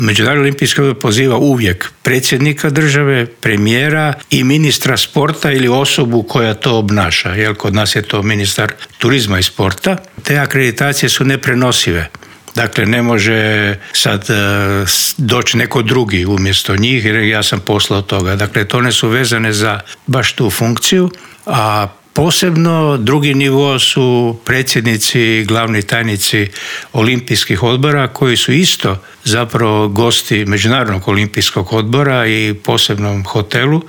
Međunarodni olimpijski odbor poziva uvijek predsjednika države, premijera i ministra sporta ili osobu koja to obnaša. Jer kod nas je to ministar turizma i sporta. Te akreditacije su neprenosive. Dakle, ne može sad doći neko drugi umjesto njih jer ja sam poslao toga. Dakle, to ne su vezane za baš tu funkciju, a posebno drugi nivo su predsjednici, glavni tajnici olimpijskih odbora koji su isto zapravo gosti Međunarodnog olimpijskog odbora i posebnom hotelu